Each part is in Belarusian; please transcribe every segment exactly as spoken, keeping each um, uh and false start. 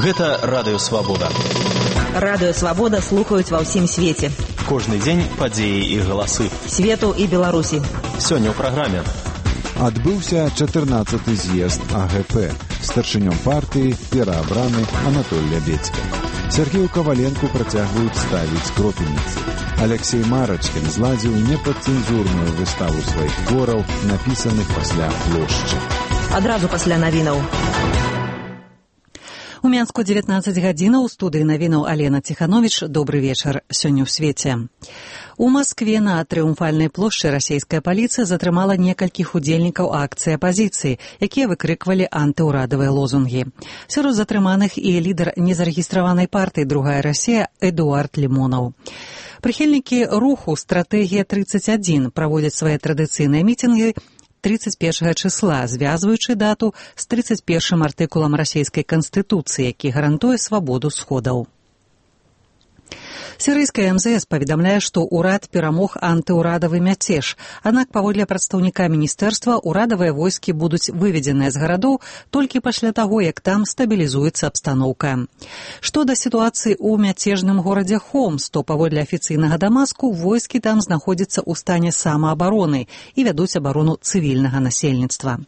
Гэта Радыё Свабода. Радыё Свабода слухаюць ва ўсім свеце. Кожны дзень падзеі і галасы. Свету і Беларусі. Сёння ў праграме. Адбыўся чатырнаццаты з'езд А Г П. Старшынём партыі пераабраны Анатоль Лябедзька. Сергею Каваленку працягваюць ставіць кропельніцы. Алексей Марачкін зладзіў непадцэнзурную выставу сваіх твораў, напісаных пасля плошчы. Адразу пасля навінаў. У Мінску дзевятнаццаць гадзінаў, у студыі навінаў Алена Ціхановіч. Добры вечар. Сёння ў свеце. У Маскве на Трыумфальнай плошчы расійская паліцыя затрымала некалькіх удзельнікаў акцыі апазіцыі, якія выкрыквалі антыўрадавыя лозунгі. Сярод затрыманых і лідар незарэгістраванай партыі «Другая Расія» Эдуард Лімонаў. Прыхільнікі руху «Стратэгія тридцать один» праводзяць свае традыцыйныя мітынгі тридцать першага числа, звязваючы дату з тридцать першым артыкулам расійскай канстытуцыі, які гарантуе свабоду сходаў. Сірыйская эм зэ эс паведамляе, што ўрад перамог антыўрадавы мяцеж, аднак паводле прадстаўніка міністэрства ўрадавыя войскі будуць выведзеныя з гарадоў толькі пасля таго, як там стабілізуецца абстаноўка. Што да сітуацыі ў мяцежным горадзе Хомс, то паводле афіцыйнага Дамаску войскі там знаходзяцца ў стане самаабароны і вядуць абарону цывільнага насельніцтва.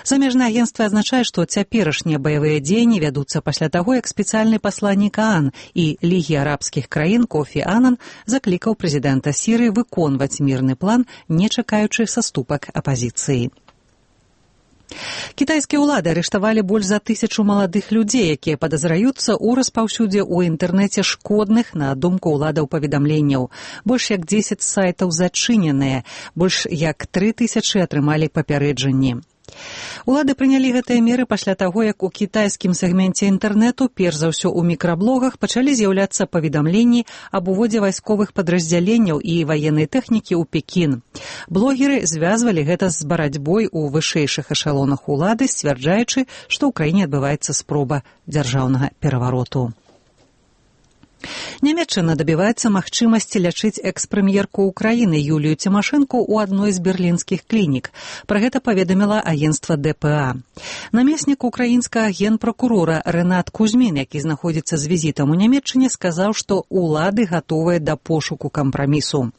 Замежнае агенцтва азначае, што цяперашнія баявыя дзеянні вядуцца пасля таго, як спецыяльны пасланнік ААН і Лігі арабскіх краін Кофі Анан заклікаў прэзідэнта Сірыі выконваць мірны план, не чакаючы саступак апазіцыі. Кітайскія ўлады арыштавалі больш за тысячу маладых людзей, якія падазраюцца ў распаўсюдзе ў інтэрнэце шкодных, на думку ўладаў, паведамленняў. Больш як дзесяць сайтаў зачыненыя, больш як тры тысячы атрымалі папярэджанні. Улады прынялі гэтыя меры пасля таго, як у кітайскім сегменце інтэрнэту, перш за ўсё ў мікраблогах, пачалі з'яўляцца паведамленні аб уводзе вайсковых падраздзяленняў і ваеннай тэхнікі ў Пекін. Блогеры звязвалі гэта з барацьбой у вышэйшых эшалонах улады, сцвярджаючы, што ў краіне адбываецца спроба дзяржаўнага перавароту. Нямецчына дабіваецца магчымасці лячыць экс-прэм'ерку Украіны Юлію Цімашэнку ў адной з берлінскіх клінік. Пра гэта паведаміла агенцтва Дэ Пэ А. Намеснік украінскага генпракурора Рэнат Кузьмін, які знаходзіцца з візітам у Нямецчыне, сказаў, што ўлады гатовыя да пошуку кампрамісу.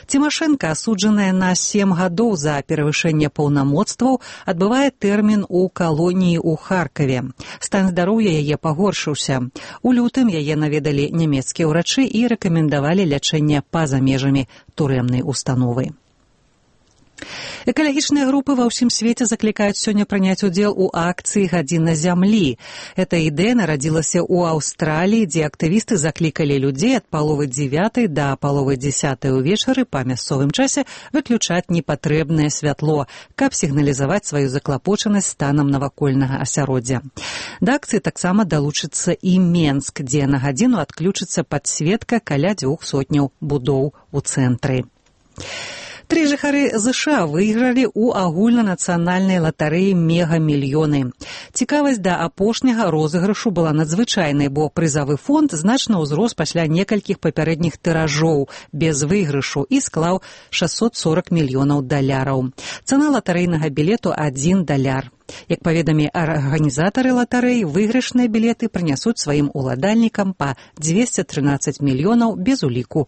Цімашэнка, асуджаная на сем гадоў за перавышэнне паўнамоцтваў, адбывае тэрмін у калоніі ў Харкаве. Стан здароўя яе пагоршыўся. У лютым яе наведалі нямецкія ўрачы і рэкамендавалі лячэнне па-за межамі турэмнай установы. Экалагічныя групы ва ўсім свеце заклікаюць сёння прыняць удзел у акцыі «Гадзіна зямлі». Эта ідэя нарадзілася ў Аўстраліі, дзе актывісты заклікалі людзей ад паловы дзевятай да паловы дзесятай увечары па мясцовым часе выключаць непатрэбнае святло, каб сігналізаваць сваю заклапочанасць станам навакольнага асяроддзя. Да акцыі таксама далучыцца і Менск, дзе на гадзіну адключыцца падсветка каля дзвюх сотняў будоў у цэнтры. Тры жыхары ЗША выйгралі ў агульнанацыянальнай латарэі мегамільёны. Цікавасць да апошняга розыгрышу была надзвычайнай, бо прызавы фонд значна ўзрос пасля некалькіх папярэдніх тыражоў без выйгрышу і склаў шэсцьсот сорак мільёнаў даляраў. Цана латарэйнага білету адзін даляр. Як паведамі арганізатары латарэі, выйгрышныя білеты прынясуць сваім уладальнікам па дзвесце трынаццаць мільёнаў без уліку